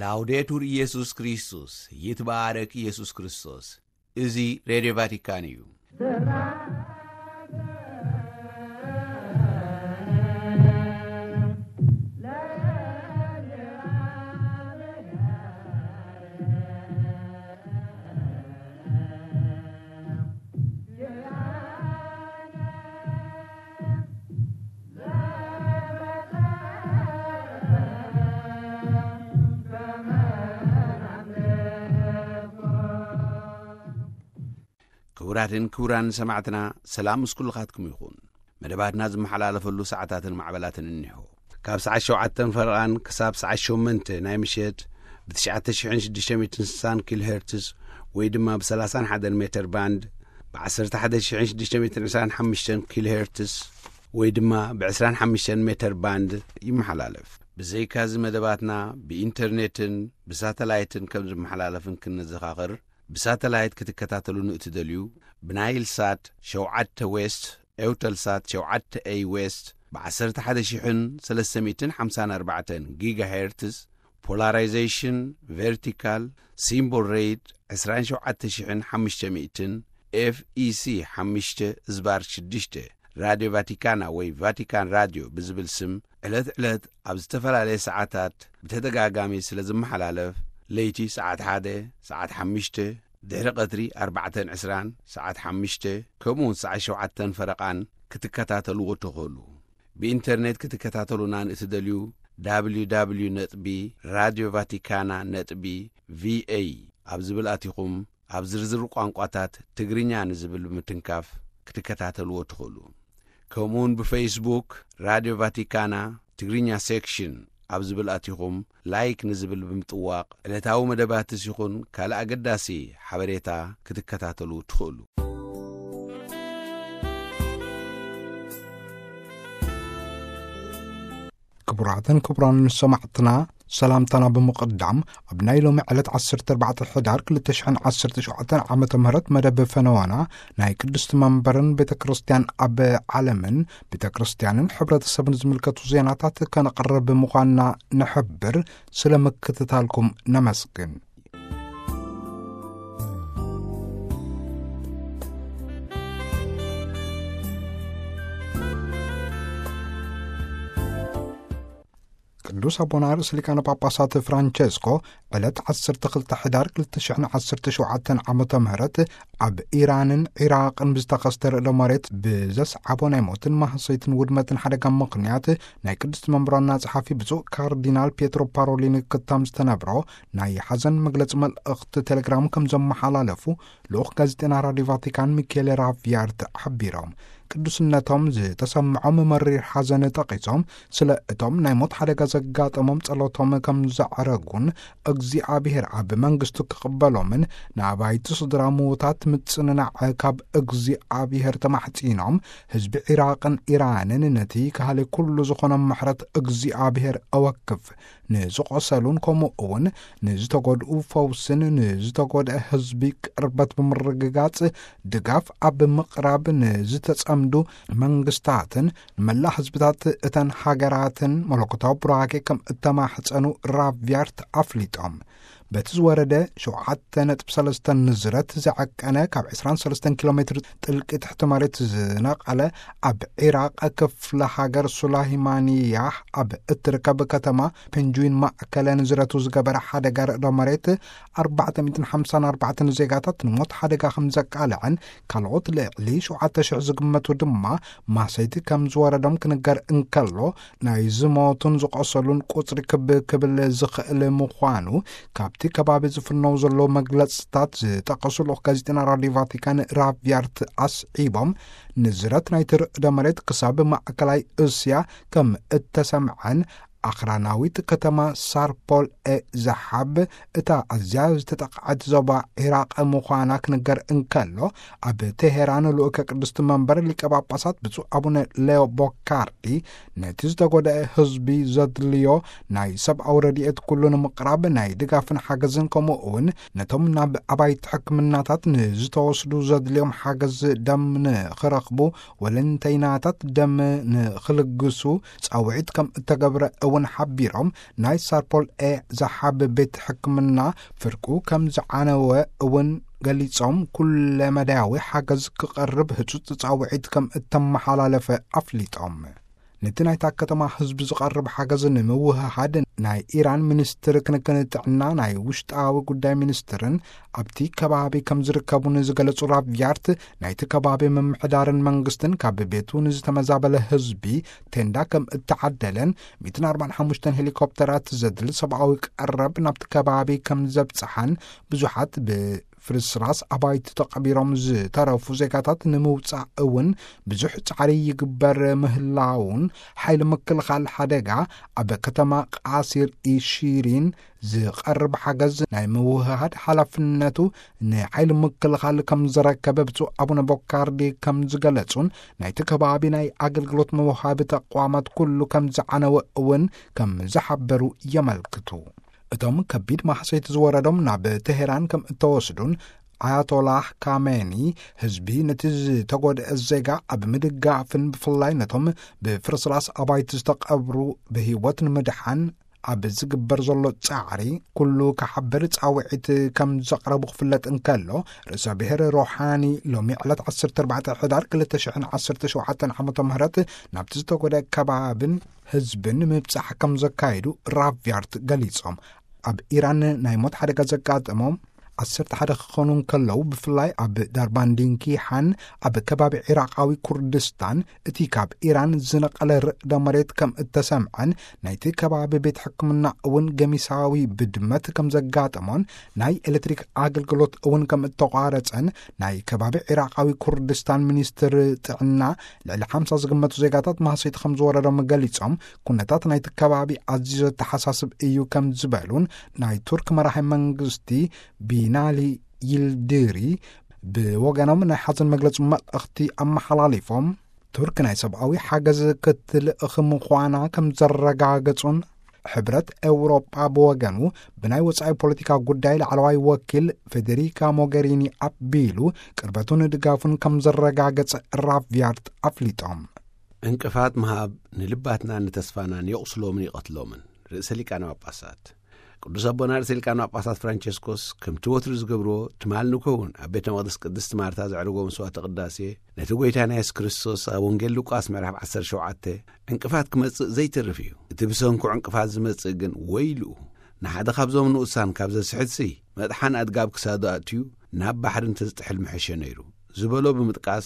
ላውዴቱር ኢየሱስ ክርስቶስ፣ ይትባረክ ኢየሱስ ክርስቶስ። እዚ ሬድዮ ቫቲካን እዩ። ክቡራትን ክቡራን ሰማዕትና፣ ሰላም ምስ ኩልኻትኩም ይኹን። መደባትና ዝመሓላለፈሉ ሰዓታትን ማዕበላትን እኒሆ። ካብ ሰዓት ሸውዓተን ፈረቓን ክሳብ ሰዓት ሸሞንተ ናይ ምሸት ብ ትሽዓተ ሽሕን ሽዱሽተ ሚእትን ስሳን ኪሎ ሄርትዝ ወይ ድማ ብ ሰላሳን ሓደን ሜተር ባንድ፣ ብ ዓሰርተ ሓደ ሽሕን ሽዱሽተ ሚእትን ዕስራን ሓሙሽተን ኪሎ ሄርትዝ ወይ ድማ ብ ዕስራን ሓሙሽተን ሜተር ባንድ ይመሓላለፍ። ብዘይካዚ መደባትና ብኢንተርኔትን ብሳተላይትን ከም ዝመሓላለፍን ክንዘኻኽር፣ ብሳተላይት ክትከታተሉ ንእትደልዩ፣ ብናይል ሳት ሸውዓተ ዌስት፣ ኤውተል ሳት ሸውዓተ ኤይ ዌስት፣ ብ ዓሰርተ ሓደ ሽሕን ሰለስተ ሚእትን ሓምሳን ኣርባዕተን ጊጋ ሄርትዝ፣ ፖላራይዜሽን ቨርቲካል፣ ሲምቦል ሬት ዕስራን ሸውዓተ ሽሕን ሓሙሽተ ሚእትን፣ ኤፍ ኢ ሲ ሓሙሽተ ዝባር ሽዱሽተ፣ ራድዮ ቫቲካና ወይ ቫቲካን ራድዮ ብዝብል ስም ዕለት ዕለት ኣብ ዝተፈላለየ ሰዓታት ብተደጋጋሚ ስለ ዝመሓላለፍ፣ ለይቲ ሰዓት ሓደ፣ ሰዓት ሓሙሽተ፣ ድሕሪ ቀትሪ ኣርባዕተን ዕስራን፣ ሰዓት ሓሙሽተ፣ ከምኡ እውን ሰዓት ሸውዓተን ፈረቓን ክትከታተልዎ ትኽእሉ። ብኢንተርኔት ክትከታተሉና ንእትደልዩ፣ ደብሊው ደብሊው ደብሊው ነጥቢ ራድዮ ቫቲካና ነጥቢ ቪ ኤ ኣብ ዝብል ኣቲኹም ኣብ ዝርዝር ቋንቋታት ትግርኛ ንዝብል ብምትንካፍ ክትከታተልዎ ትኽእሉ። ከምኡውን ብፌስቡክ ራድዮ ቫቲካና ትግርኛ ሴክሽን ኣብ ዝብል ኣቲኹም ላይክ ንዝብል ብምጥዋቕ ዕለታዊ መደባትስ ይኹን ካልእ ኣገዳሲ ሓበሬታ ክትከታተሉ ትኽእሉ። ክቡራትን ክቡራን ሰማዕትና፣ ሰላምታና ብምቕዳም፣ ኣብ ናይ ሎሚ ዕለት ዓሰርተ ኣርባዕተ ሕዳር ክልተ ሽሕን ዓሰርተ ሸውዓተን ዓመተ ምህረት መደብ ፈነወና ናይ ቅድስቲ መንበርን ቤተ ክርስቲያን ኣብ ዓለምን ቤተ ክርስቲያንን ሕብረተሰብን ዝምልከቱ ዜናታት ከነቕርብ ምዃንና ንሕብር። ስለ ምክትታልኩም ነመስግን። ቅዱስ ኣቦና ርእሰ ሊቃነ ጳጳሳት ፍራንቸስኮ ዕለት ዓሰርተ ክልተ ሕዳር ክልተ ሽሕን ዓሰርተ ሸውዓተን ዓመተ ምህረት ኣብ ኢራንን ዒራቕን ብዝተኸስተ ርዕደ መሬት ብዘስዓቦ ናይ ሞትን ማህሰይትን ውድመትን ሓደጋ ምኽንያት ናይ ቅድስቲ መንበሮና ጸሓፊ ብፁዕ ካርዲናል ፒየትሮ ፓሮሊን ክታም ዝተነብሮ ናይ ሓዘን መግለጺ መልእኽቲ ቴሌግራም ከም ዘመሓላለፉ ልኡኽ ጋዜጠና ራድዮ ቫቲካን ሚኬል ራቪያርት ሓቢሮም። ቅዱስነቶም ዝተሰምዖም መሪር ሓዘን ጠቒሶም፣ ስለ እቶም ናይ ሞት ሓደጋ ዘጋጠሞም ጸሎቶም ከም ዘዕረጉን እግዚኣብሔር ኣብ መንግስቱ ክቕበሎምን ንኣባይቲ ስድራ ምዉታት ምጽንናዕ ካብ እግዚኣብሔር ተማሕጺኖም፣ ህዝቢ ዒራቕን ኢራንን ነቲ ካህሊ ኩሉ ዝኾኖም ምሕረት እግዚኣብሔር እወክፍ፣ ንዝቖሰሉን ከምኡ እውን ንዝተጎድኡ ፈውስን ንዝተጎድአ ህዝቢ ቅርበት ብምርግጋጽ ድጋፍ ኣብ ምቕራብ ንዝተጸምዱ መንግስታትን ንመላእ ህዝብታት እተን ሃገራትን መለኮታዊ ቡራኬ ከም እተማሕጸኑ ራቪያርት ኣፍሊጦም። በቲ ዝወረደ ሸውዓተ ነጥቢ ሰለስተ ንዝረት ዝዓቀነ ካብ ዕስራን ሰለስተን ኪሎ ሜትር ጥልቂ ትሕቲ መሬት ዝነቐለ ኣብ ዒራቕ ክፍለ ሃገር ሱላይማንያ ኣብ እትርከብ ከተማ ፔንጁይን ማእከለ ንዝረቱ ዝገበረ ሓደጋ ርዕዶ መሬት ኣርባዕተ ሚእትን ሓምሳን ኣርባዕተን ዜጋታት ንሞት ሓደጋ ከም ዘቃልዐን ካልኦት ልዕሊ ሸውዓተ ሽሕ ዝግመቱ ድማ ማሰይቲ ከም ዝወረዶም ክንገር እንከሎ፣ ናይ ዝሞቱን ዝቆሰሉን ቁጽሪ ክብ ክብል ዝኽእል ምዃኑ ካብቲ ከባቢ ዝፍነው ዘሎ መግለጽታት ዝጠቀሱ ልኡኽ ጋዜጠና ራድዮ ቫቲካን ራቪያርት ኣስዒቦም፣ ንዝረት ናይቲ ርዕደ መሬት ክሳብ ማእከላይ እስያ ከም እተሰምዐን ኣኽራናዊት ከተማ ሳርፖል ኤ ዛሓብ እታ ኣዝያ ዝተጠቕዐት ዞባ ዒራቕ ምዃና ክንገር እንከሎ፣ ኣብ ቴሄራን ልኡከ ቅድስቲ መንበር ሊቀ ጳጳሳት ብፁዕ ኣቡነ ሌዮ ቦካርዲ ነቲ ዝተጎድአ ህዝቢ ዘድልዮ ናይ ሰብኣዊ ረድኤት ኩሉ ንምቕራብ ናይ ድጋፍን ሓገዝን ከምኡ እውን ነቶም ናብ ኣባይቲ ሕክምናታት ንዝተወስዱ ዘድልዮም ሓገዝ ደም ንኽረኽቡ ወለንተይናታት ደም ንኽልግሱ ጻውዒት ከም እተገብረ እውን ሓቢሮም፣ ናይ ሳርፖል ኤ ዝሓብ ቤት ሕክምና ፍርቁ ከም ዝዓነወ እውን ገሊጾም፣ ኩለ መዳያዊ ሓገዝ ክቐርብ ህጹጽ ጻውዒት ከም እተመሓላለፈ ኣፍሊጦም። ነቲ ናይታ ከተማ ህዝቢ ዝቐርብ ሓገዝ ንምውህሃድ ናይ ኢራን ሚኒስትር ክንክን ጥዕና፣ ናይ ውሽጣዊ ጉዳይ ሚኒስትርን ኣብቲ ከባቢ ከም ዝርከቡ ንዝገለጹ ራቪያርት፣ ናይቲ ከባቢ ምምሕዳርን መንግስትን ካብ ቤቱ ንዝተመዛበለ ህዝቢ ቴንዳ ከም እተዓደለን፣ ሚእትን ኣርባዓን ሓሙሽተን ሄሊኮፕተራት ዘድሊ ሰብኣዊ ቀረብ ናብቲ ከባቢ ከም ዘብጽሓን፣ ብዙሓት ብ ፍርስራስ ኣባይቲ ተቐቢሮም ዝተረፉ ዜጋታት ንምውጻእ እውን ብዙሕ ጻዕሪ ይግበር ምህላውን፣ ሓይሊ ምክልኻል ሓደጋ ኣብ ከተማ ቃሲር ኢሺሪን ዝቐርብ ሓገዝ ናይ ምውህሃድ ሓላፍነቱ ንሓይሊ ምክልኻል ከም ዘረከበ ብፁዕ ኣቡነ ቦካርዲ ከም ዝገለጹን፣ ናይቲ ከባቢ ናይ ኣገልግሎት መውሃቢ ተቋማት ኩሉ ከም ዝዓነወ እውን ከም ዝሓበሩ የመልክቱ። እቶም ከቢድ ማህሰይቲ ዝወረዶም ናብ ቴሄራን ከም እተወስዱን፣ ኣያቶላህ ካሜኒ ህዝቢ ነቲ ዝተጎድአ ዜጋ ኣብ ምድጋፍን ብፍላይ ነቶም ብፍርስራስ ኣባይቲ ዝተቐብሩ ብህይወት ንምድሓን ኣብ ዝግበር ዘሎ ጻዕሪ ኩሉ ክሓብር ጻውዒት ከም ዘቕረቡ ክፍለጥ እንከሎ፣ ርእሰ ብሔር ሮሓኒ ሎሚ ዕለት ዓሰርተ ኣርባዕተ ሕዳር ክልተ ሽሕን ዓሰርተ ሸውዓተን ዓመተ ምህረት ናብቲ ዝተጎድአ ከባብን ህዝብን ምብጻሕ ከም ዘካየዱ ራቪያርት ገሊጾም። ኣብ ኢራን ናይ ሞት ሓደጋ ዘጋጠሞም ዓሰርተ ሓደ ክኾኑ እንከለዉ፣ ብፍላይ ኣብ ዳርባንዲንኪ ሓን ኣብ ከባቢ ዒራቓዊ ኩርድስታን እቲ ካብ ኢራን ዝነቐለ ርዕደ መሬት ከም እተሰምዐን፣ ናይቲ ከባቢ ቤት ሕክምና እውን ገሚሳዊ ብድመት ከም ዘጋጠሞን፣ ናይ ኤሌክትሪክ ኣገልግሎት እውን ከም እተቋረጸን ናይ ከባቢ ዒራቓዊ ኩርድስታን ሚኒስትር ጥዕና ልዕሊ ሓምሳ ዝግመቱ ዜጋታት ማህሰይቲ ከም ዝወረዶም ገሊጾም፣ ኩነታት ናይቲ ከባቢ ኣዝዩ ዘተሓሳስብ እዩ ከም ዝበሉን፣ ናይ ቱርክ መራሒ መንግስቲ ቢናሊ ይልድሪ ብወገኖም ናይ ሓዘን መግለጺ መልእኽቲ ኣመሓላሊፎም፣ ቱርክ ናይ ሰብኣዊ ሓገዝ ክትልእኽ ምዃና ከም ዘረጋገጹን፣ ሕብረት ኤውሮጳ ብወገኑ ብናይ ወጻኢ ፖለቲካ ጉዳይ ላዕለዋይ ወኪል ፌዴሪካ ሞገሪኒ ኣቢሉ ቅርበቱን ድጋፉን ከም ዘረጋገጸ ራቪያርት ኣፍሊጦም። ዕንቅፋት ምሃብ ንልባትናን ንተስፋናን የቑስሎምን ይቐትሎምን። ርእሰ ሊቃነ ጳጳሳት ቅዱስ ኣቦና ርእሰ ሊቃነ ጳጳሳት ፍራንቸስኮስ፣ ከምቲ ወትሩ ዝገብርዎ፣ ትማል ንከውን ኣብ ቤተ መቕደስ ቅድስቲ ማርታ ዘዕርጎ መስዋዕተ ቅዳሴ፣ ነቲ ጐይታና የሱስ ክርስቶስ ኣብ ወንጌል ሉቃስ ምዕራፍ ዓሰርተ ሸውዓተ ዕንቅፋት ክመጽእ ዘይተርፍ እዩ። እቲ ብሰንኩ ዕንቅፋት ዝመጽእ ግን ወይልኡ። ንሓደ ካብዞም ንኡሳን ካብ ዘስሕትሲ፣ መጥሓን ኣድጋብ ክሳዱ ኣእትዩ ናብ ባሕሪ እንተዝጥሕል ምሐሸ ነይሩ ዝበሎ ብምጥቃስ፣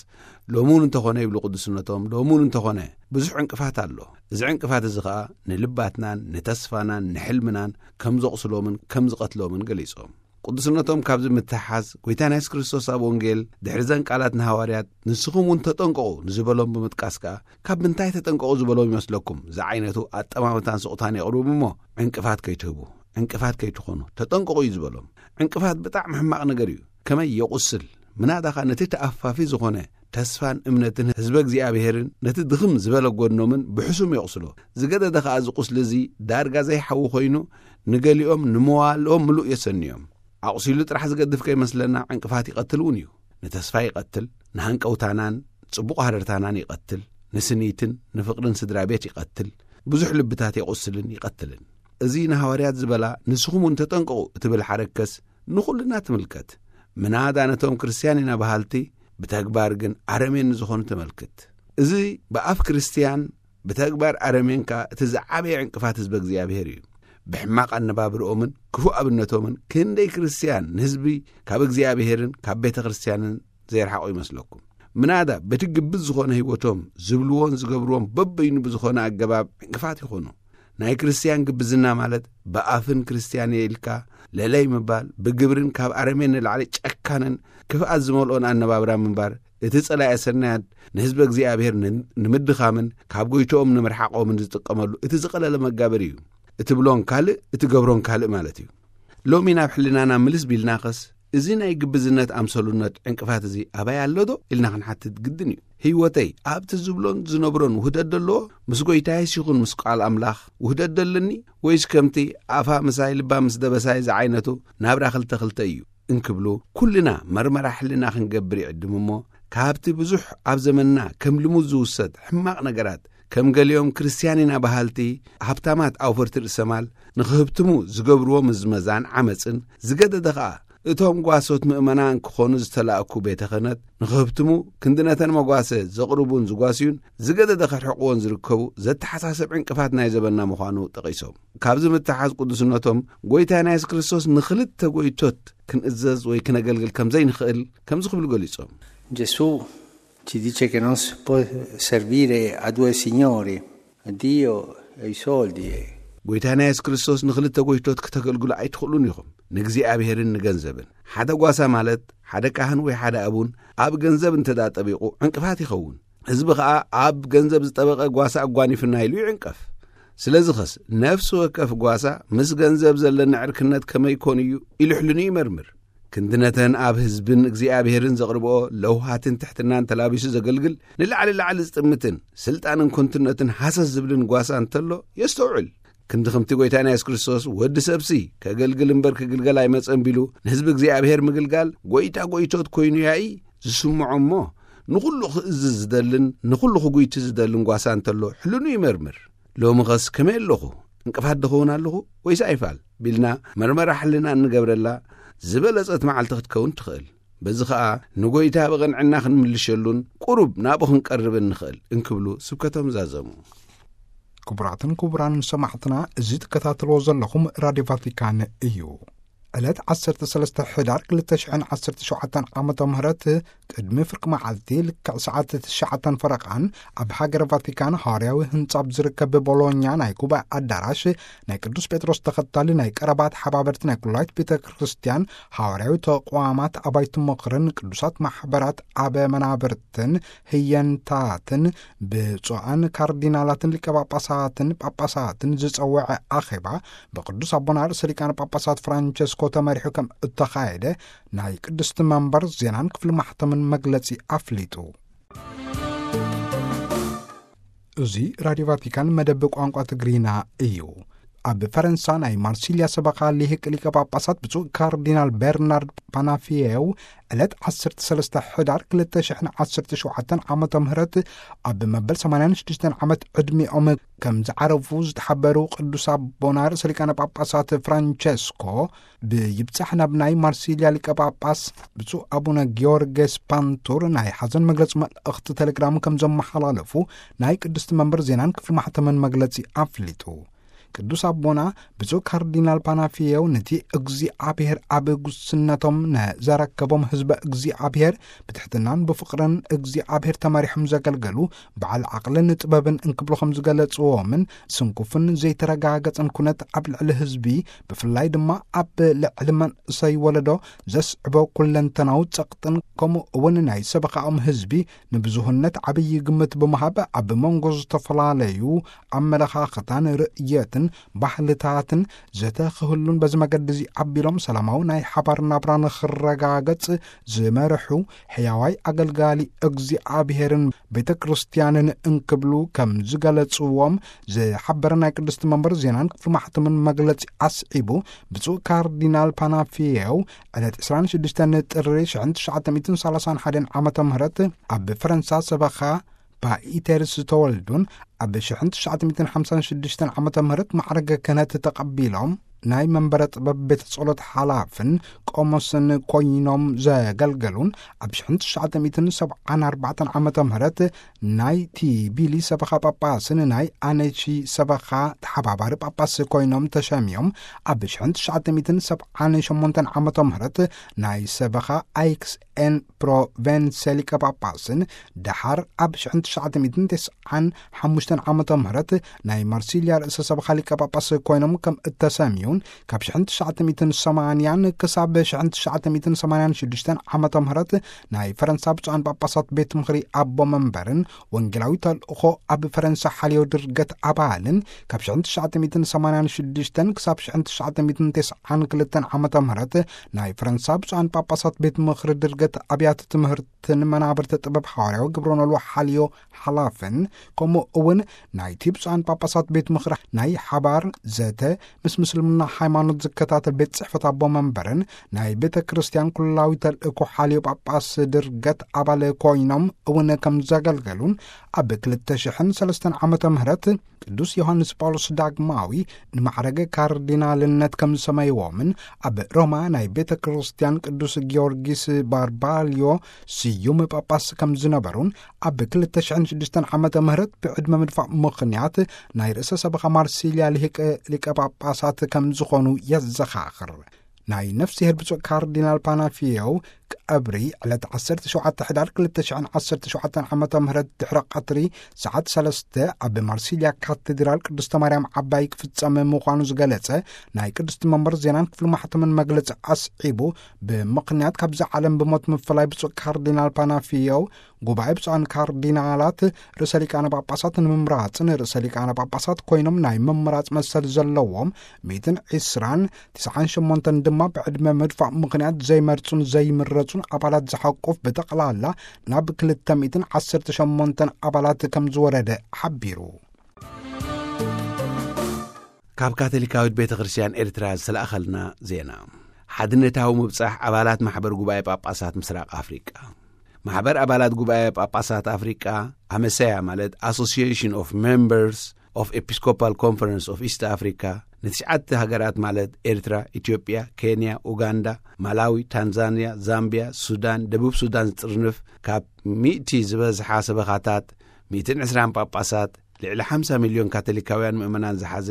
ሎሚ እውን እንተኾነ ይብሉ ቅዱስነቶም፣ ሎሚ እውን እንተኾነ ብዙሕ ዕንቅፋት ኣሎ። እዚ ዕንቅፋት እዚ ኸኣ ንልባትናን ንተስፋናን ንሕልምናን ከም ዘቑስሎምን ከም ዝቐትሎምን ገሊጾም። ቅዱስነቶም ካብዚ ምትሓዝ፣ ጐይታና የሱስ ክርስቶስ ኣብ ወንጌል ድሕሪ ዘን ቃላት ንሃዋርያት፣ "ንስኹም እውን ተጠንቀቑ" ንዝበሎም ብምጥቃስ ከኣ፣ ካብ ምንታይ ተጠንቀቑ ዝበሎም ይመስለኩም? ዝዓይነቱ ኣጠማምታን ስቕታን የቕርቡ እሞ፣ ዕንቅፋት ከይትህቡ፣ ዕንቅፋት ከይትኾኑ ተጠንቀቑ እዩ ዝበሎም። ዕንቅፋት ብጣዕሚ ሕማቕ ነገር እዩ። ከመይ የቑስል! ምናዳ ኸኣ ነቲ ተኣፋፊ ዝኾነ ተስፋን እምነትን ህዝበ እግዚኣብሔርን ነቲ ድኽም ዝበለ ጐድኖምን ብሕሱም የቑስሎ። ዝገደደ ኸኣ እዚ ቁስሊ እዚ ዳርጋ ዘይሓዊ ኾይኑ፣ ንገሊኦም ንመዋእሎም ምሉእ የሰንዮም። ኣቑሲሉ ጥራሕ ዝገድፍ ከይመስለና ዕንቅፋት ይቐትል እውን እዩ። ንተስፋ ይቐትል፣ ንሃንቀውታናን ጽቡቕ ሃረርታናን ይቐትል፣ ንስኒትን ንፍቕርን ስድራ ቤት ይቐትል፣ ብዙሕ ልብታት የቑስልን ይቐትልን። እዚ ንሃዋርያት ዝበላ "ንስኹም እውን ተጠንቀቑ" እትብል ሓረከስ ንኹልና ትምልከት። ምናዳ ነቶም ክርስትያን ኢና በሃልቲ፣ ብተግባር ግን ኣረሜን ንዝኾኑ ተመልክት። እዚ ብኣፍ ክርስትያን ብተግባር ኣረሜን ከኣ እቲ ዝዓበየ ዕንቅፋት ህዝበ እግዚኣብሔር እዩ። ብሕማቕ ኣነባብርኦምን ክፉእ ኣብነቶምን ክንደይ ክርስትያን ንህዝቢ ካብ እግዚኣብሔርን ካብ ቤተ ክርስትያንን ዘይረሓቑ ይመስለኩም? ምናዳ በቲ ግብዝ ዝኾነ ህይወቶም ዝብልዎን ዝገብርዎን በበይኑ ብዝኾነ ኣገባብ ዕንቅፋት ይኾኑ። ናይ ክርስትያን ግብዝና ማለት ብኣፍን ክርስትያን እየ ኢልካ ለለይ ምባል፣ ብግብርን ካብ ኣረሜን ንላዕሊ ጨካንን ክፍኣት ዝመልኦን ኣነባብራ ምንባር፣ እቲ ጸላኤ ሰናያት ንህዝበ እግዚኣብሔር ን-፣ ንምድኻምን ካብ ጎይትኦም ንምርሓቖምን ዝጥቀመሉ እቲ ዝቐለለ መጋበሪ እዩ። እትብሎን ካልእ፣ እትገብሮን ካልእ ማለት እዩ። ሎሚ ናብ ሕልናና ምልስ ቢልናኸስ፣ እዚ ናይ ግብዝነት ኣምሰሉነት ዕንቅፋት እዚ ኣበይ ኣሎ ዶ ኢልና ክንሓትት ግድን እዩ። ህይወተይ ኣብቲ ዝብሎን ዝነብሮን ውህደት ደለዎ? ምስ ጎይታይስ ይኹን ምስ ቃል ኣምላኽ ውህደት ደለኒ? ወይስ ከምቲ ኣፋ ምሳይ ልባ ምስ ደበሳይ ዝዓይነቱ ናብራ ክልተ ክልተ እዩ እንክብሉ፣ ኩልና መርመራ ሕልና ክንገብር ይዕድም እሞ፣ ካብቲ ብዙሕ ኣብ ዘመንና ከም ልሙድ ዝውሰድ ሕማቕ ነገራት ከም ገሊኦም ክርስትያን ኢና በሃልቲ ሃብታማት ኣውፈርቲ ርእሰ ማል ንኽህብትሙ ዝገብርዎ ምዝመዛን ዓመጽን ዝገደደ ኸኣ፣ እቶም ጓሶት ምእመናን ክኾኑ ዝተላእኩ ቤተ ክህነት ንኽህብትሙ ክንዲ ነተን መጓሰ ዘቕርቡን ዝጓስዩን ዝገደደ ከርሕቕዎን ዝርከቡ ዘተሓሳሰብ ዕንቅፋት ናይ ዘበና ምዃኑ ጠቒሶም። ካብዚ ምትሓዝ ቅዱስነቶም ጎይታና የሱስ ክርስቶስ ንኽልተ ጎይቶት ክንእዘዝ ወይ ክነገልግል ከም ዘይንኽእል ከምዚ ክብሉ ገሊጾም። Gesù ci dice che non si può servire a due signori, a Dio e i soldi. ጎይታና የሱስ ክርስቶስ ንኽልተ ጎይቶት ክተገልግሉ ኣይትኽእሉን ኢኹም፣ ንእግዚኣብሔርን ንገንዘብን። ሓደ ጓሳ ማለት ሓደ ካህን ወይ ሓደ ኣቡን ኣብ ገንዘብ እንተ ደኣ ጠቢቑ ዕንቅፋት ይኸውን። ህዝቢ ኸኣ ኣብ ገንዘብ ዝጠበቐ ጓሳ ኣጓኒፍና ኢሉ ይዕንቀፍ። ስለዚ ኸስ ነፍሲ ወከፍ ጓሳ ምስ ገንዘብ ዘለና ዕርክነት ከመይ ኮን እዩ ኢሉ ሕልኑ ይመርምር። ክንዲ ነተን ኣብ ህዝብን እግዚኣብሔርን ዘቕርብኦ ለውሃትን ትሕትናን ተላቢሱ ዘገልግል ንላዕሊ ላዕሊ ዝጥምትን ስልጣንን ኮንትነትን ሃሰስ ዝብልን ጓሳ እንተሎ የስተውዕል። ክንዲ ከምቲ ጎይታና የሱስ ክርስቶስ ወዲ ሰብሲ ከገልግል እምበር ክግልገል ኣይመጸን ቢሉ ንህዝቢ እግዚኣብሔር ምግልጋል ጎይታ ጎይቶት ኮይኑ ያኢ ዝስምዖ እሞ ንኹሉ ክእዝዝ ዝደልን ንኹሉ ክጉይቲ ዝደልን ጓሳ እንተሎ ሕልኑ ይመርምር። ሎሚ ኸስ ከመይ ኣለኹ? እንቅፋት ድኸውን ኣለኹ ወይስ ኣይፋል ቢልና መርመራ ሕልና እንገብረላ ዝበለጸት መዓልቲ ክትከውን ትኽእል። በዚ ኸኣ ንጎይታ ብቕንዕና ክንምልሸሉን ቁሩብ ናብኡ ክንቀርብን ንኽእል እንክብሉ ስብከቶም ዛዘሙ። ክቡራትን ክቡራንን ሰማዕትና፣ እዚ ትከታተልዎ ዘለኹም ራድዮ ቫቲካን እዩ። ዕለት ዓሰርተ ሰለስተ ሕዳር ክልተ ሽሕን ዓሰርተ ሸውዓተን ዓመተ ምህረት ቅድሚ ፍርቂ መዓልቲ ልክዕ ሰዓት ትሽዓተን ፈረቓን ኣብ ሃገረ ቫቲካን ሃዋርያዊ ህንጻ ኣብ ዝርከብ ቦሎኛ ናይ ጉባኤ ኣዳራሽ ናይ ቅዱስ ጴጥሮስ ተኸታሊ ናይ ቀረባ ተሓባበርቲ ናይ ኩላይት ቤተ ክርስቲያን ሃዋርያዊ ተቋማት ኣባይቲ ምኽርን ቅዱሳት ማሕበራት ኣብ መናብርትን ህየንታትን ብፁዓን ካርዲናላትን ሊቀ ጳጳሳትን ጳጳሳትን ዝጸወዐ ኣኼባ ብቅዱስ ኣቦና ርእሰ ሊቃነ ጳጳሳት ፍራንቸስኮ ተመሪሑ ከም እተኻየደ ናይ ቅድስቲ መንበር ዜናን ክፍሊ ማሕተምን መግለጺ ኣፍሊጡ። እዚ ራድዮ ቫቲካን መደብ ቋንቋ ትግርኛ እዩ። ኣብ ፈረንሳ ናይ ማርሲልያ ሰበኻ ሊህቅ ሊቀ ጳጳሳት ብፁዕ ካርዲናል ቤርናርድ ፓናፊየው ዕለት ዓሰርተ ሰለስተ ሕዳር ክልተ ሽሕን ዓሰርተ ሸውዓተን ዓመተ ምህረት ኣብ መበል ሰማንያን ሽዱሽተን ዓመት ዕድሚኦም ከም ዝዓረፉ ዝተሓበሩ ቅዱስ ኣቦና ርእሰ ሊቃነ ጳጳሳት ፍራንቸስኮ ብይብጻሕ ናብ ናይ ማርሲልያ ሊቀ ጳጳስ ብፁዕ ኣቡነ ጊዮርጌስ ፓንቱር ናይ ሓዘን መግለጺ መልእኽቲ ቴሌግራም ከም ዘመሓላለፉ ናይ ቅድስቲ መንበር ዜናን ክፍሊ ማሕተምን መግለጺ ኣፍሊጡ። ቅዱስ ኣቦና ብፁዕ ካርዲናል ፓናፊየው ነቲ እግዚኣብሔር ኣብ ጉስነቶም ነዘረከቦም ህዝበ እግዚኣብሔር ብትሕትናን ብፍቕርን እግዚኣብሔር ተመሪሖም ዘገልገሉ በዓል ዓቕልን ጥበብን እንክብሉ ከም ዝገለጽዎምን ስንኩፍን ዘይተረጋገጸን ኩነት ኣብ ልዕሊ ህዝቢ ብፍላይ ድማ ኣብ ልዕሊ መንእሰይ ወለዶ ዘስዕቦ ኩለንተናዊ ጸቕጥን ከምኡ እውን ናይ ሰበኻኦም ህዝቢ ንብዙህነት ዓብዪ ግምት ብምሃብ ኣብ መንጎ ዝተፈላለዩ ኣመለኻኽታን ርእየትን ባህልታትን ዘተ ክህሉን በዚ መገዲ እዚ ኣቢሎም ሰላማዊ ናይ ሓባር ናብራ ንኽረጋገጽ ዝመርሑ ሕያዋይ ኣገልጋሊ እግዚኣብሔርን ቤተ ክርስቲያንን እንክብሉ ከም ዝገለጽዎም ዝሓበረ ናይ ቅድስቲ መንበር ዜናን ክፍሊ ማሕተምን መግለጺ ኣስዒቡ ብፁዕ ካርዲናል ፓናፊየው ዕለት ዕስራን ሽዱሽተን ጥሪ ሽሕን ትሽዓተ ሚእትን ሰላሳን ሓደን ዓመተ ምህረት ኣብ ፈረንሳ ሰበኻ ፓኢተርስ ዝተወልዱን ኣብ ሽሕን ትሽዓተ ሚእትን ሓምሳን ሽዱሽተን ዓመተ ምህረት ማዕረገ ክህነት ተቐቢሎም ናይ መንበረ ጥበብ ቤተ ጸሎት ሓላፍን ቆሞስን ኮይኖም ዘገልገሉን ኣብ ሽሕን ትሽዓተ ሚእትን ሰብዓን ኣርባዕተን ዓመተ ምህረት ናይ ቲቢሊ ሰበኻ ጳጳስን ናይ ኣነቺ ሰበኻ ተሓባባሪ ጳጳስ ኮይኖም ተሸሚዮም ኣብ ሽሕን ትሽዓተ ሚእትን ሰብዓን ሸሞንተን ዓመተ ምህረት ናይ ሰበኻ ኣይክስ ኤን ፕሮቨንሰ ሊቀ ጳጳስን ደሓር ኣብ ሽሕን ትሽዓተ ሚእትን ተስዓን ሓሙሽተን ዓመተ ምህረት ናይ ማርሲልያ ርእሰ ሰበኻ ሊቀ ጳጳስ ኮይኖም ከም እተሰምዩን ካብ ሽሕን ትሽዓተ ሚእትን ሰማንያን ክሳብ ሽሕን ትሽዓተ ሚእትን ሰማንያን ሽዱሽተን ዓመተ ምህረት ናይ ፈረንሳ ብፁዓን ጳጳሳት ቤት ምኽሪ ኣቦ መንበርን ወንጌላዊ ተልእኾ ኣብ ፈረንሳ ሓልዮ ድርገት ኣባልን ካብ ሽሕን ትሽዓተ ሚእትን ሰማንያን ሽዱሽተን ክሳብ ሽሕን ትሽዓተ ሚእትን ተስዓን ክልተን ዓመተ ምህረት ናይ ፈረንሳ ብፁዓን ጳጳሳት ቤት ምኽሪ ድርገት ኣብያተ ትምህርትን መናብርቲ ጥበብ ሓዋርያዊ ግብረ ኖልዎ ሓልዮ ሓላፍን ከምኡ እውን ናይቲ ብፁዓን ጳጳሳት ቤት ምኽሪ ናይ ሓባር ዘተ ምስ ምስልምና ሃይማኖት ዝከታተል ቤት ጽሕፈት ኣቦ መንበርን ናይ ቤተ ክርስቲያን ኩላዊ ተልእኮ ሓልዮ ጳጳስ ድርገት ኣባል ኮይኖም እውን ከም ዘገልገሉን፣ ኣብ ክልተ ሽሕን ሰለስተን ዓመተ ምህረት ቅዱስ ዮሃንስ ጳውሎስ ዳግማዊ ንማዕረገ ካርዲናልነት ከም ዝሰመይዎምን፣ ኣብ ሮማ ናይ ቤተ ክርስቲያን ቅዱስ ጊዮርጊስ ባርባልዮ ስዩም ጳጳስ ከም ዝነበሩን፣ ኣብ ክልተ ሽሕን ሽዱሽተን ዓመተ ምህረት ብዕድመ ምድፋእ ምኽንያት ናይ ርእሰ ሰበኻ ማርሲልያ ልሂቅ ሊቀ ጳጳሳት ከም ዝኾኑ የዘኻኽር። ናይ ነፍስሄር ብፁዕ ካርዲናል ፓናፊዮ ቀብሪ ዕለት ዓሰርተ ሸውዓተ ሕዳር ክልተ ሽሕን ዓሰርተ ሸውዓተን ዓመተ ምህረት ድሕሪ ቀትሪ ሰዓት ሰለስተ ኣብ ማርሲልያ ካቴድራል ቅድስተ ማርያም ዓባይ ክፍጸም ምዃኑ ዝገለጸ ናይ ቅድስቲ መንበር ዜናን ክፍሊ ማሕተምን መግለጺ ኣስዒቡ፣ ብምኽንያት ካብዛ ዓለም ብሞት ምፍላይ ብፁዕ ካርዲናል ፓናፊዮ፣ ጉባኤ ብፁዓን ካርዲናላት ርእሰ ሊቃነ ጳጳሳት ንምምራጽን፣ ርእሰ ሊቃነ ጳጳሳት ኮይኖም ናይ ምምራጽ መሰል ዘለዎም ሚእትን ዕስራን ትስዓን ሸሞንተን ድማ ብዕድመ ምድፋእ ምኽንያት ዘይመርጹን ዘይምረጹን ኣባላት ዝሓቁፍ ብጠቕላላ ናብ ክልተ ሚእትን ዓሰርተ ሸሞንተን ኣባላት ከም ዝወረደ ሓቢሩ። ካብ ካቶሊካዊት ቤተ ክርስቲያን ኤርትራ ዝተላእኸልና ዜና። ሓድነታዊ ምብጻሕ ኣባላት ማሕበር ጉባኤ ጳጳሳት ምስራቕ ኣፍሪቃ። ማሕበር ኣባላት ጉባኤ ጳጳሳት ኣፍሪቃ፣ ኣመሰያ ማለት Association of Members of Episcopal Conference of East Africa፣ ንትሽዓተ ሃገራት ማለት ኤርትራ፣ ኢትዮጵያ፣ ኬንያ፣ ኡጋንዳ፣ ማላዊ፣ ታንዛንያ፣ ዛምቢያ፣ ሱዳን፣ ደቡብ ሱዳን ዝጥርንፍ፣ ካብ ሚእቲ ዝበዝሓ ሰበኻታት፣ ሚእትን ዕስራን ጳጳሳት፣ ልዕሊ ሓምሳ ሚልዮን ካቶሊካውያን ምእመናን ዝሓዘ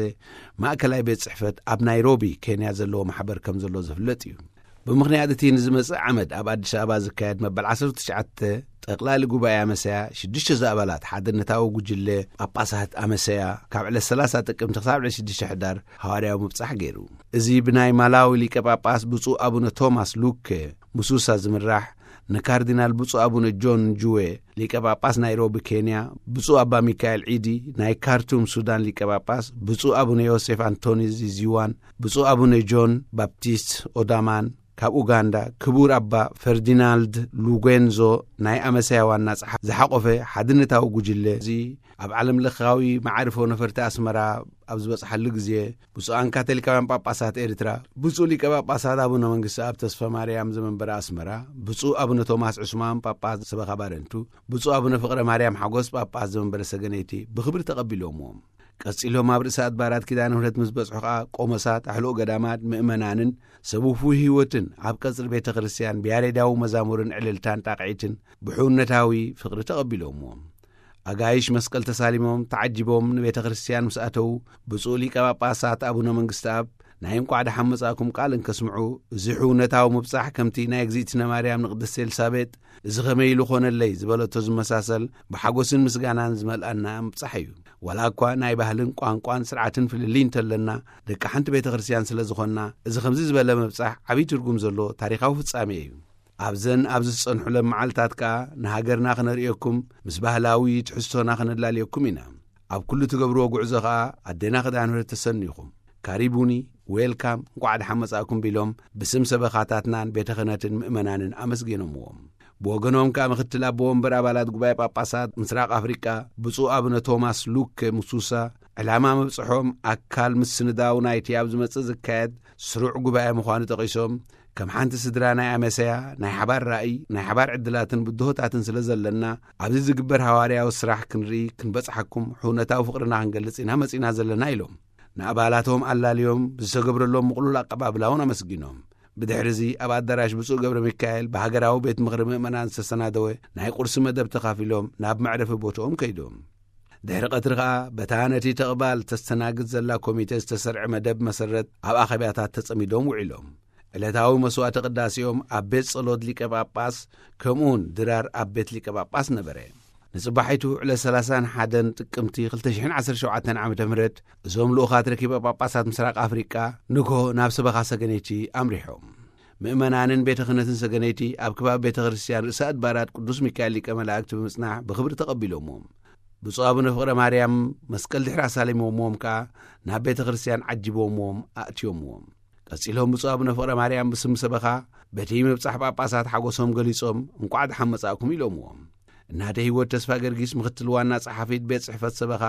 ማእከላይ ቤት ጽሕፈት ኣብ ናይሮቢ ኬንያ ዘለዎ ማሕበር ከም ዘሎ ዝፍለጥ እዩ። ብምኽንያት እቲ ንዝመጽእ ዓመት ኣብ ኣዲስ ኣበባ ዝካየድ መበል ዓሰርተ ትሽዓተ ጠቕላሊ ጉባኤ ኣመሰያ፣ ሽዱሽተ ዝኣባላት ሓድነታዊ ጉጅለ ጳጳሳት ኣመሰያ ካብ ዕለት ሰላሳ ጥቅምቲ ክሳብ ዕለት ሽዱሽተ ሕዳር ሃዋርያዊ ምብጻሕ ገይሩ። እዚ ብናይ ማላዊ ሊቀ ጳጳስ ብፁዕ ኣቡነ ቶማስ ሉከ ሙሱሳ ዝምራሕ፣ ንካርዲናል ብፁዕ ኣቡነ ጆን ጁዌ ሊቀ ጳጳስ ናይሮቢ ኬንያ፣ ብፁዕ ኣባ ሚካኤል ዒዲ ናይ ካርቱም ሱዳን ሊቀ ጳጳስ፣ ብፁዕ ኣቡነ ዮሴፍ ኣንቶኒ ዚዚዋን ብፁዕ ኣቡነ ጆን ባፕቲስት ኦዳማን፣ ካብ ኡጋንዳ ክቡር ኣባ ፈርዲናልድ ሉጌንዞ ናይ ኣመሰያ ዋና ጸሓፊ ዝሓቖፈ ሓድነታዊ ጉጅለ፣ እዚ ኣብ ዓለም ለኻዊ መዓርፎ ነፈርቲ ኣስመራ ኣብ ዝበጽሓሉ ግዜ፣ ብፁዓን ካቶሊካውያን ጳጳሳት ኤርትራ፣ ብፁዕ ሊቀ ጳጳሳት ኣቡነ መንግስቲ ኣብ ተስፋ ማርያም ዘመንበረ ኣስመራ፣ ብፁዕ ኣቡነ ቶማስ ዑስማን ጳጳስ ሰበኻ ባረንቱ፣ ብፁዕ ኣቡነ ፍቕረ ማርያም ሓጎስ ጳጳስ ዘመንበረ ሰገነይቲ ብኽብሪ ተቐቢሎምዎም። ቀጺሎም ኣብ ርእሰ ኣድባራት ኪዳነ ምሕረት ምስ በጽሑ ኸኣ፣ ቆሞሳት፣ ኣሕሉቕ ገዳማት፣ ምእመናንን ሰብ ውፉይ ህይወትን ኣብ ቀጽሪ ቤተ ክርስቲያን ብያሬዳዊ መዛሙርን ዕልልታን ጣቕዒትን ብሕውነታዊ ፍቕሪ ተቐቢሎምዎም። ኣጋይሽ መስቀል ተሳሊሞም ተዓጂቦም ንቤተ ክርስቲያን ምስ ኣተዉ፣ ብፁዕ ሊቀ ጳጳሳት ኣቡነ መንግስተኣብ ናይ እንቋዕ ደሓን መጻእኩም ቃል እንከስምዑ፣ እዚ ሕውነታዊ ምብጻሕ ከምቲ ናይ እግዚኣብትነ ማርያም ንቅድስቲ ኤልሳቤጥ "እዚ ኸመይ ኢሉ ኾነለይ?" ዝበለቶ ዝመሳሰል፣ ብሓጎስን ምስጋናን ዝመልኣና ምብጻሕ እዩ። ዋላ እኳ ናይ ባህልን ቋንቋን ስርዓትን ፍልልይ እንተለና፣ ደቂ ሓንቲ ቤተ ክርስቲያን ስለ ዝኾንና፣ እዚ ከምዚ ዝበለ ምብጻሕ ዓብዪ ትርጉም ዘለዎ ታሪኻዊ ፍጻሜ እዩ። ኣብዘን ኣብዚ ዝጸንሑለን መዓልታት ከኣ ንሃገርና ክነርእየኩም፣ ምስ ባህላዊ ትሕዝቶና ክነላልየኩም ኢና። ኣብ ኩሉ ትገብርዎ ጉዕዞ ከኣ ኣዴና ክዳን ምሕረት ተሰኒኹም። ካሪቡኒ፣ ዌልካም፣ እንቋዕ ደሓን መጻእኩም ቢሎም ብስም ሰበኻታትናን ቤተ ክህነትን ምእመናንን ኣመስጊኖምዎም። ብወገኖም ከኣ ምክትል ኣቦ ወንበር ኣባላት ጉባኤ ጳጳሳት ምስራቕ ኣፍሪቃ ብፁዕ ኣቡነ ቶማስ ሉከ ሙሱሳ፣ ዕላማ ምብጽሖም ኣካል ምስንዳው ናይቲ ኣብ ዝመጽእ ዝካየድ ስሩዕ ጉባኤ ምዃኑ ጠቒሶም፣ ከም ሓንቲ ስድራ ናይ ኣመሰያ ናይ ሓባር ራእይ፣ ናይ ሓባር ዕድላትን ብድሆታትን ስለ ዘለና፣ ኣብዚ ዝግበር ሃዋርያዊ ስራሕ ክንርኢ ክንበጽሓኩም ሕውነታዊ ፍቕርና ክንገልጽ ኢና መጺእና ዘለና ኢሎም። ንኣባላቶም ኣላልዮም ብዝተገብረሎም ምቕሉል ኣቀባብላ እውን ኣመስጊኖም። ብድሕሪ እዚ ኣብ ኣዳራሽ ብፁዕ ገብረ ሚካኤል ብሃገራዊ ቤት ምኽሪ ምእመናን ዝተሰናደወ ናይ ቁርሲ መደብ ተኻፊሎም ናብ መዕረፊ ቦትኦም ከይዶም። ድሕሪ ቀትሪ ኸኣ በታ ነቲ ተቕባል ተስተናግድ ዘላ ኮሚቴ ዝተሰርዐ መደብ መሰረት ኣብ ኣኼባታት ተጸሚዶም ውዒሎም። ዕለታዊ መስዋዕተ ቅዳሴኦም ኣብ ቤት ጸሎት ሊቀ ጳጳስ ከምኡውን ድራር ኣብ ቤት ሊቀ ጳጳስ ነበረ። ንጽባሒቱ ዕለት ሰላሳን ሓደን ጥቅምቲ ክልተ ሽሕን ዓሰርተ ሸውዓተን ዓመተ ምህረት እዞም ልኡኻት ረኪበ ጳጳሳት ምስራቅ ኣፍሪቃ ንግሆ ናብ ሰበኻ ሰገነይቲ ኣምሪሖም። ምእመናንን ቤተ ክህነትን ሰገነይቲ ኣብ ከባቢ ቤተ ክርስቲያን ርእሰ ኣድባራት ቅዱስ ሚካኤል ሊቀ መላእክት ብምጽናሕ ብኽብሪ ተቐቢሎምዎም። ብፁዕ ኣቡነ ፍቕረ ማርያም መስቀል ድሕሪ ኣሳሊሞምዎም ከኣ ናብ ቤተ ክርስቲያን ዓጂቦምዎም ኣእትዮምዎም። ቀጺሎም ብፁዕ ኣቡነ ፍቕረ ማርያም ብስም ሰበኻ በቲ ምብጻሕ ጳጳሳት ሓጎሶም ገሊጾም እንቋዕ ደሓን መጻእኩም ኢሎምዎም። እናደ ህይወት ተስፋ ገርጊስ፣ ምኽትል ዋና ጸሓፊት ቤት ጽሕፈት ሰበኻ፣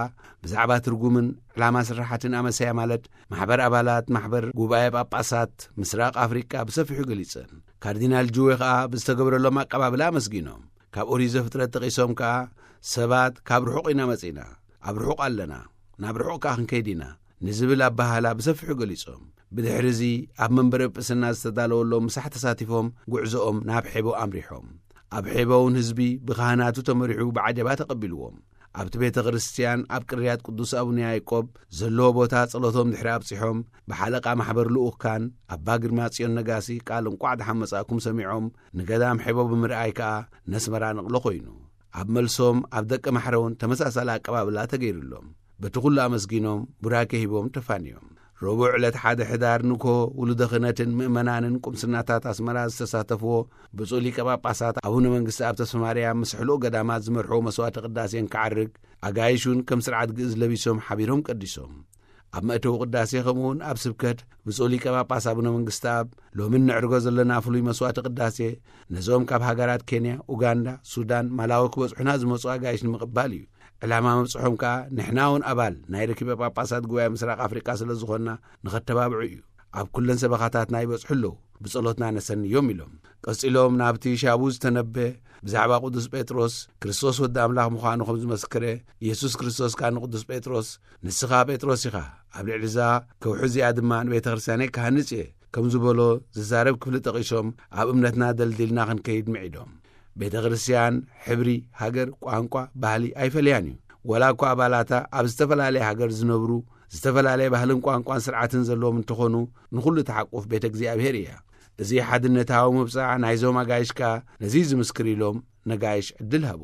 ብዛዕባ ትርጉምን ዕላማ ስራሓትን ኣመሰያ፣ ማለት ማሕበር ኣባላት ማሕበር ጉባኤ ጳጳሳት ምስራቅ ኣፍሪቃ ብሰፊሑ ገሊጸን። ካርዲናል ጁዌ ከኣ ብዝተገብረሎም ኣቀባብላ ኣመስጊኖም። ካብ ኦሪት ዘፍጥረት ጠቒሶም ከኣ፣ ሰባት ካብ ርሑቕ ኢና መጺእና፣ ኣብ ርሑቕ ኣለና፣ ናብ ርሑቕ ከኣ ክንከይድ ኢና ንዝብል ኣበሃህላ ብሰፊሑ ገሊጾም። ብድሕሪ እዚ ኣብ መንበረ ጵስና ዝተዳለወሎም ምሳሕ ተሳቲፎም ጉዕዞኦም ናብ ሔቦ ኣምሪሖም። ኣብ ሔቦ እውን ህዝቢ ብካህናቱ ተመሪሑ ብዓጀባ ተቐቢልዎም። ኣብቲ ቤተ ክርስቲያን ኣብ ቅርያት ቅዱስ ኣቡነ ያዕቆብ ዘለዎ ቦታ ጸሎቶም ድሕሪ ኣብጺሖም፣ ብሓለቃ ማሕበር ልኡካን ኣባ ግርማ ጽዮን ነጋሲ ቃል እንቋዕ ደሓን መጻእኩም ሰሚዖም፣ ንገዳም ሔቦ ብምርኣይ ከኣ ነስመራ ንቕሎ ኮይኑ። ኣብ መልሶም ኣብ ደቂ ማሕረ እውን ተመሳሳሊ ኣቀባብላ ተገይሩሎም። በቲ ኩሉ ኣመስጊኖም ቡራኬ ሂቦም ተፋንዮም። ረቡዕ ዕለት ሓደ ሕዳር ንግሆ ውሉደ ክህነትን ምእመናንን ቁምስናታት ኣስመራ ዝተሳተፍዎ ብፁዕ ሊቀ ጳጳሳት ኣቡነ መንግስቲ ኣብ ተስፋ ማርያም ምስ ሕሉቕ ገዳማት ዝመርሕዎ መስዋዕተ ቅዳሴን ክዓርግ፣ ኣጋይሹን ከም ስርዓት ግእዝ ለቢሶም ሓቢሮም ቀዲሶም። ኣብ መእተዊ ቅዳሴ ከምኡውን ኣብ ስብከት ብፁዕ ሊቀ ጳጳስ ኣቡነ መንግስቲ ኣብ ሎሚ ነዕርጎ ዘለና ፍሉይ መስዋዕተ ቅዳሴ ነዞም ካብ ሃገራት ኬንያ፣ ኡጋንዳ፣ ሱዳን፣ ማላዊ ክበጽሑና ዝመጹ ኣጋይሽ ንምቕባል እዩ። ዕላማ መብጽሖም ከኣ ንሕና እውን ኣባል ናይ ርኪበ ጳጳሳት ጉባኤ ምስራቅ ኣፍሪቃ ስለ ዝኾንና ንኸተባብዑ እዩ። ኣብ ኩለን ሰበኻታትና ይበጽሑ ኣለዉ፣ ብጸሎትና ነሰንዮም ኢሎም። ቀጺሎም ናብቲ ሻቡ ዝተነበ ብዛዕባ ቅዱስ ጴጥሮስ ክርስቶስ ወዲ ኣምላኽ ምዃኑ ከም ዝመስከረ፣ ኢየሱስ ክርስቶስ ከኣ ንቅዱስ ጴጥሮስ፣ "ንስኻ ጴጥሮስ ኢኻ፣ ኣብ ልዕሊ እዛ ከውሒ እዚኣ ድማ ንቤተ ክርስቲያነይ ክሃንጽ እየ" ከም ዝበሎ ዝዛረብ ክፍሊ ጠቒሶም፣ ኣብ እምነትና ደልዲልና ክንከይድ ምዒዶም። ቤተ ክርስቲያን ሕብሪ፣ ሃገር፣ ቋንቋ፣ ባህሊ ኣይፈልያን እዩ። ወላ እኳ ኣባላታ ኣብ ዝተፈላለየ ሃገር ዝነብሩ፣ ዝተፈላለየ ባህልን ቋንቋን ስርዓትን ዘለዎም እንተኾኑ፣ ንኹሉ ተሓቁፍ ቤተ እግዚኣብሔር እያ። እዚ ሓድነታዊ ምብጻዕ ናይዞም ኣጋይሽ ከኣ ነዚ ዝምስክር ኢሎም ነጋይሽ ዕድል ሃቡ።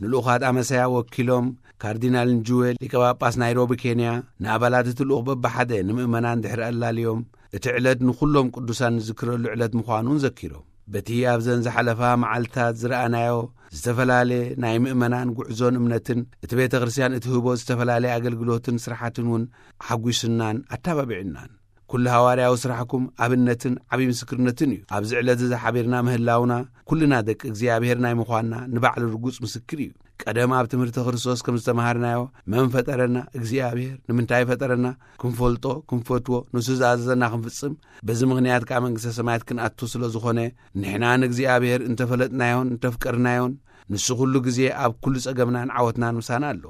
ንልኡኻት ኣመሰያ ወኪሎም ካርዲናል ንጁዌ ሊቀ ጳጳስ ናይሮቢ ኬንያ ንኣባላት እቲ ልኡኽ በብሓደ ንምእመናን ድሕሪ ኣላልዮም፣ እቲ ዕለት ንኹሎም ቅዱሳን ንዝክረሉ ዕለት ምዃኑን ዘኪሮም፣ በቲ ኣብዘን ዝሓለፋ መዓልታት ዝረኣናዮ ዝተፈላለየ ናይ ምእመናን ጉዕዞን እምነትን፣ እቲ ቤተ ክርስቲያን እትህቦ ዝተፈላለየ ኣገልግሎትን ስራሓትን እውን ሓጒስናን ኣተባቢዕናን። ኩሉ ሃዋርያዊ ስራሕኩም ኣብነትን ዓብዪ ምስክርነትን እዩ። ኣብዚ ዕለት እዚ ሓቢርና ምህላውና፣ ኩልና ደቂ እግዚኣብሔር ናይ ምዃንና ንባዕሉ ርጉጽ ምስክር እዩ። ቀደም ኣብ ትምህርቲ ክርስቶስ ከም ዝተማሃርናዮ፣ መን ፈጠረና? እግዚኣብሔር። ንምንታይ ፈጠረና? ክንፈልጦ፣ ክንፈትዎ፣ ንሱ ዝኣዘዘና ክንፍጽም፣ በዚ ምኽንያት ከኣ መንግስተ ሰማያት ክንኣቱ ስለ ዝኾነ፣ ንሕና ንእግዚኣብሔር እንተፈለጥናዮን እንተፍቀርናዮን፣ ንሱ ኩሉ ግዜ ኣብ ኩሉ ጸገምናን ዓወትናን ምሳና ኣሎ።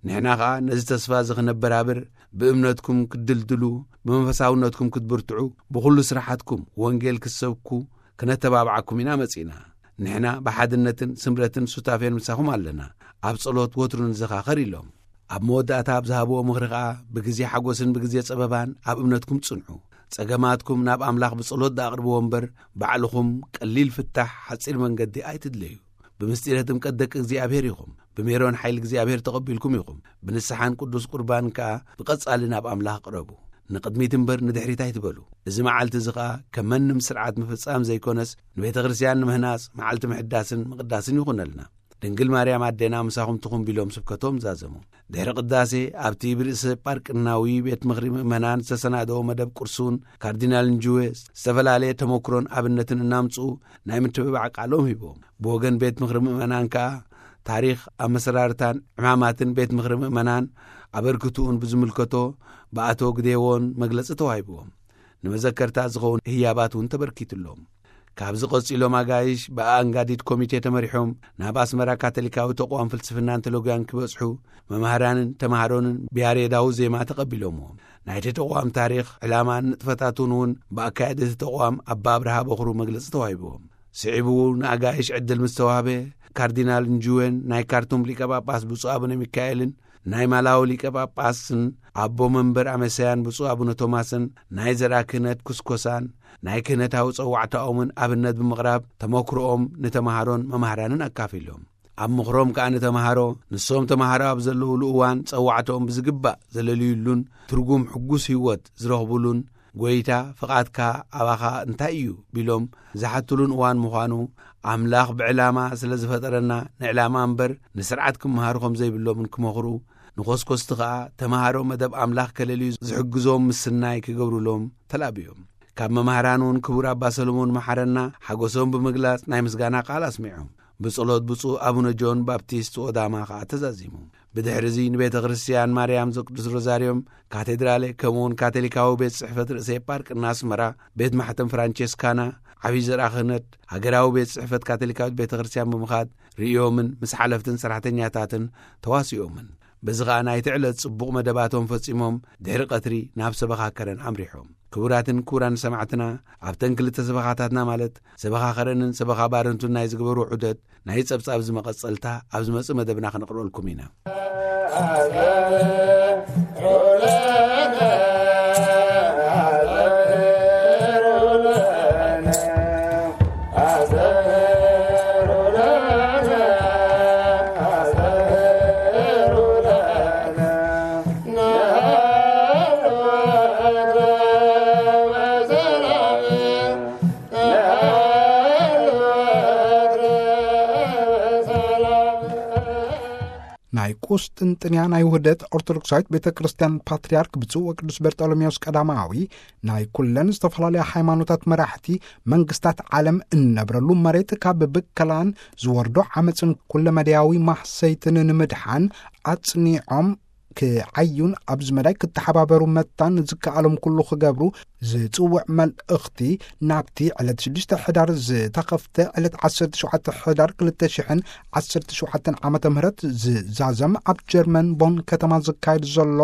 ንሕና ኸኣ ነዚ ተስፋ እዚ ክነበራብር፣ ብእምነትኩም ክትድልድሉ፣ ብመንፈሳውነትኩም ክትብርትዑ፣ ብኹሉ ስራሓትኩም ወንጌል ክትሰብኩ ክነተባብዓኩም ኢና መጺእና። ንሕና ብሓድነትን ስምረትን ሱታፌን ምሳኹም ኣለና። ኣብ ጸሎት ወትሩ ንዘኻኸር ኢሎም። ኣብ መወዳእታ ኣብ ዝሃብዎ ምኽሪ ኸኣ፣ ብግዜ ሓጎስን ብግዜ ጸበባን ኣብ እምነትኩም ጽንሑ። ጸገማትኩም ናብ ኣምላኽ ብጸሎት ደኣቕርብዎ እምበር፣ ባዕልኹም ቀሊል ፍታሕ ሓጺር መንገዲ ኣይትድለዩ። ብምስጢረ ጥምቀት ደቂ እግዚኣብሔር ኢኹም። ብሜሮን ሓይሊ እግዚኣብሔር ተቐቢልኩም ኢኹም። ብንስሓን ቅዱስ ቁርባን ከኣ ብቐጻሊ ናብ ኣምላኽ ቅረቡ። ንቕድሚት እምበር ንድሕሪት ኣይትበሉ። እዚ መዓልቲ እዚ ኸኣ ከም መንም ስርዓት ምፍጻም ዘይኮነስ፣ ንቤተ ክርስቲያን ንምህናጽ መዓልቲ ምሕዳስን ምቕዳስን ይኹነልና። ድንግል ማርያም ኣዴና ምሳኹም ትኹን ቢሎም ስብከቶም ዛዘሙ። ድሕሪ ቅዳሴ ኣብቲ ብርእሰ ጳርቅናዊ ቤት ምኽሪ ምእመናን ዝተሰናደወ መደብ ቅርሱን ካርዲናል ንጅዌ ዝተፈላለየ ተመክሮን ኣብነትን እናምጽኡ ናይ ምትብባዕ ቃሎም ሂቦም። ብወገን ቤት ምኽሪ ምእመናን ከኣ ታሪኽ ኣመሰራርታን ዕማማትን ቤት ምኽሪ ምእመናን ኣበርክትኡን ብዝምልከቶ ብኣቶ ግዴዎን መግለጺ ተዋሂብዎም። ንመዘከርታ ዝኸውን ህያባት እውን ተበርኪትሎም። ካብዚ ቀጺሎም ኣጋይሽ ብኣንጋዲት ኮሚቴ ተመሪሖም ናብ ኣስመራ ካቶሊካዊ ተቋም ፍልስፍናን ቴሎጊያን ክበጽሑ መማህራንን ተማሃሮንን ብያሬዳዊ ዜማ ተቐቢሎምዎም። ናይቲ ተቋም ታሪኽ፣ ዕላማን ንጥፈታቱን እውን ብኣካየዲ እቲ ተቋም ኣባ ኣብርሃ በኹሩ መግለጺ ተዋሂብዎም። ስዒቡ ንኣጋይሽ ዕድል ምስ ተዋህበ፣ ካርዲናል ንጁዌን ናይ ካርቱም ሊቀ ጳጳስ ብፁዕ ኣቡነ ሚካኤልን ናይ ማላዊ ሊቀ ጳጳስን ኣቦ መንበር ኣመሰያን ብፁዕ ኣቡነ ቶማስን ናይ ዘርኣ ክህነት ኩስኮሳን ናይ ክህነታዊ ጸዋዕታኦምን ኣብነት ብምቕራብ ተመክሮኦም ንተማሃሮን መማህራንን ኣካፊሎም። ኣብ ምኽሮም ከኣ ንተማሃሮ፣ ንሶም ተማሃሮ ኣብ ዘለዉሉ እዋን ጸዋዕታኦም ብዝግባእ ዘለልዩሉን ትርጉም ሕጉስ ህይወት ዝረኽቡሉን፣ "ጐይታ፣ ፍቓድካ ኣባኻ እንታይ እዩ?" ቢሎም ዝሓትሉን እዋን ምዃኑ፣ ኣምላኽ ብዕላማ ስለ ዝፈጠረና ንዕላማ እምበር ንስርዓት ክመሃሩ ከም ዘይብሎምን ክመኽሩ፣ ንኾስኮስቲ ከኣ ተማሃሮ መደብ ኣምላኽ ከለልዩ ዝሕግዞም ምስናይ ክገብሩሎም ተላብዮም። ካብ መማህራን እውን ክቡር ኣባ ሰሎሞን መሓረና ሓጎሶም ብምግላጽ ናይ ምስጋና ቃል ኣስሚዖም። ብጸሎት ብፁዕ ኣቡነ ጆን ባፕቲስት ኦዳማ ከኣ ተዛዚሙ። ብድሕሪ እዚ ንቤተ ክርስቲያን ማርያም ዘቅዱስ ሮዛርዮም ካቴድራሌ፣ ከምኡውን ካቶሊካዊ ቤት ጽሕፈት ርእሰ ኤጳርቅ እናስመራ፣ ቤት ማሕተም ፍራንቸስካና፣ ዓብዪ ዘርኣ ክህነት፣ ሃገራዊ ቤት ጽሕፈት ካቶሊካዊት ቤተ ክርስቲያን ብምኻድ ርእዮምን ምስ ሓለፍትን ሰራሕተኛታትን ተዋሲኦምን። በዚ ኸኣ ናይቲ ዕለት ጽቡቕ መደባቶም ፈጺሞም ድሕሪ ቀትሪ ናብ ሰበኻ ከረን ኣምሪሖም። ክቡራትን ክቡራን ሰማዕትና፣ ኣብተን ክልተ ሰበኻታትና ማለት ሰበኻ ከረንን ሰበኻ ባረንቱን ናይ ዝግበሩ ዑደት ናይ ጸብጻብ ዝመቐጸልታ ኣብ ዝመጽእ መደብና ክነቕርበልኩም ኢና። ናይ ቁስጥንጥንያ ናይ ውህደት ኦርቶዶክሳዊት ቤተ ክርስቲያን ፓትርያርክ ብፁዕ ወቅዱስ በርጠሎሜዎስ ቀዳማዊ፣ ናይ ኩለን ዝተፈላለያ ሃይማኖታት መራሕቲ መንግስታት ዓለም እንነብረሉ መሬት ካብ ብከላን ዝወርዶ ዓመፅን ኩለመዳያዊ ማህሰይትን ንምድሓን ኣጽኒዖም ክዓዩን ኣብዚ መዳይ ክተሓባበሩ መታን ዝከኣሎም ኩሉ ክገብሩ ዝጽውዕ መልእኽቲ ናብቲ ዕለት ሽዱሽተ ሕዳር ዝተኸፍተ ዕለት ዓሰርተ ሸውዓተ ሕዳር ክልተ ሽሕን ዓሰርተ ሸውዓተን ዓመተ ምህረት ዝዛዘም ኣብ ጀርመን ቦን ከተማ ዝካየድ ዘሎ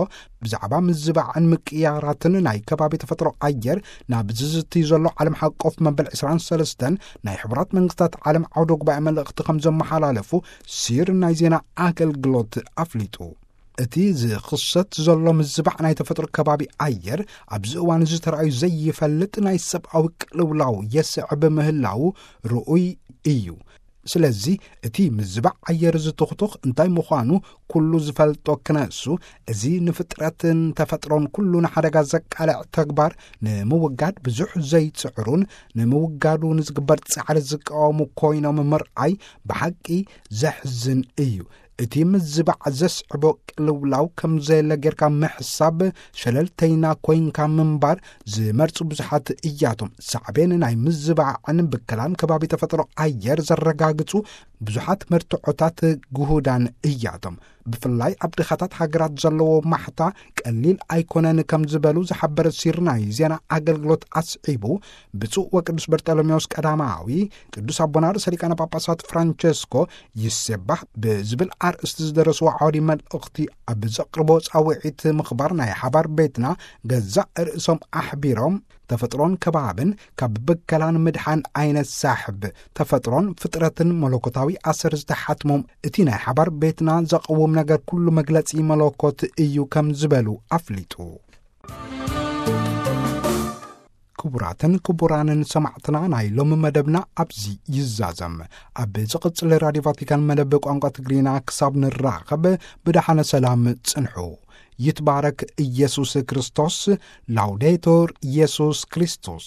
ብዛዕባ ምዝባዕን ምቅያራትን ናይ ከባቢ ተፈጥሮ ኣየር ናብ ዝዝትይ ዘሎ ዓለም ሓቆፍ መበል ዕስራን ሰለስተን ናይ ሕቡራት መንግስታት ዓለም ዓውደ ጉባኤ መልእኽቲ ከም ዘመሓላለፉ ሲር ናይ ዜና ኣገልግሎት ኣፍሊጡ። እቲ ዝኽሰት ዘሎ ምዝባዕ ናይ ተፈጥሮ ከባቢ ኣየር ኣብዚ እዋን እዚ ተራእዩ ዘይፈልጥ ናይ ሰብኣዊ ቅልውላው የስዕብ ምህላው ርኡይ እዩ። ስለዚ እቲ ምዝባዕ ኣየር ዝትኽቱኽ እንታይ ምዃኑ ኩሉ ዝፈልጦ ክነሱ፣ እዚ ንፍጥረትን ተፈጥሮን ኩሉ ንሓደጋ ዘቃልዕ ተግባር ንምውጋድ ብዙሕ ዘይጽዕሩን ንምውጋዱ ንዝግበር ጻዕሪ ዝቃወሙ ኮይኖም ምርኣይ ብሓቂ ዘሕዝን እዩ። እቲ ምዝባዕ ዘስዕቦ ቅልውላው ከም ዘየለ ጌርካ ምሕሳብ ሸለልተይና ኮይንካ ምንባር ዝመርጹ ብዙሓት እያቶም። ሳዕቤን ናይ ምዝባዕን ብከላን ከባቢ ተፈጥሮ ኣየር ዘረጋግጹ ብዙሓት መርትዖታት ግሁዳን እያቶም። ብፍላይ ኣብ ድኻታት ሃገራት ዘለዎ ማሕታ ቀሊል ኣይኮነን ከም ዝበሉ ዝሓበረ ሲር ናይ ዜና ኣገልግሎት ኣስዒቡ፣ ብፁዕ ወቅዱስ በርጠሎሜዎስ ቀዳማዊ ቅዱስ ኣቦና ርእሰ ሊቃነ ጳጳሳት ፍራንቸስኮ ይሴባህ ብዝብል ኣርእስቲ ዝደረስዎ ዓውዲ መልእኽቲ ኣብ ዘቕርቦ ጻውዒት ምኽባር ናይ ሓባር ቤትና ገዛእ ርእሶም ኣሕቢሮም፣ ተፈጥሮን ከባብን ካብ ብከላን ምድሓን ኣይነሳሕብ፣ ተፈጥሮን ፍጥረትን መለኮታዊ ኣሰር ዝተሓትሞም እቲ ናይ ሓባር ቤትና ዘቕውም ነገር ኩሉ መግለጺ መለኮት እዩ ከም ዝበሉ ኣፍሊጡ። ክቡራትን ክቡራንን ሰማዕትና፣ ናይ ሎሚ መደብና ኣብዚ ይዛዘም። ኣብ ዝቕጽል ራድዮ ቫቲካን መደብ ቋንቋ ትግርኛ ክሳብ ንራኸብ ብደሓነ ሰላም ጽንሑ። ይትባረክ ኢየሱስ ክርስቶስ። ላውዴቱር ኢየሱስ ክርስቶስ።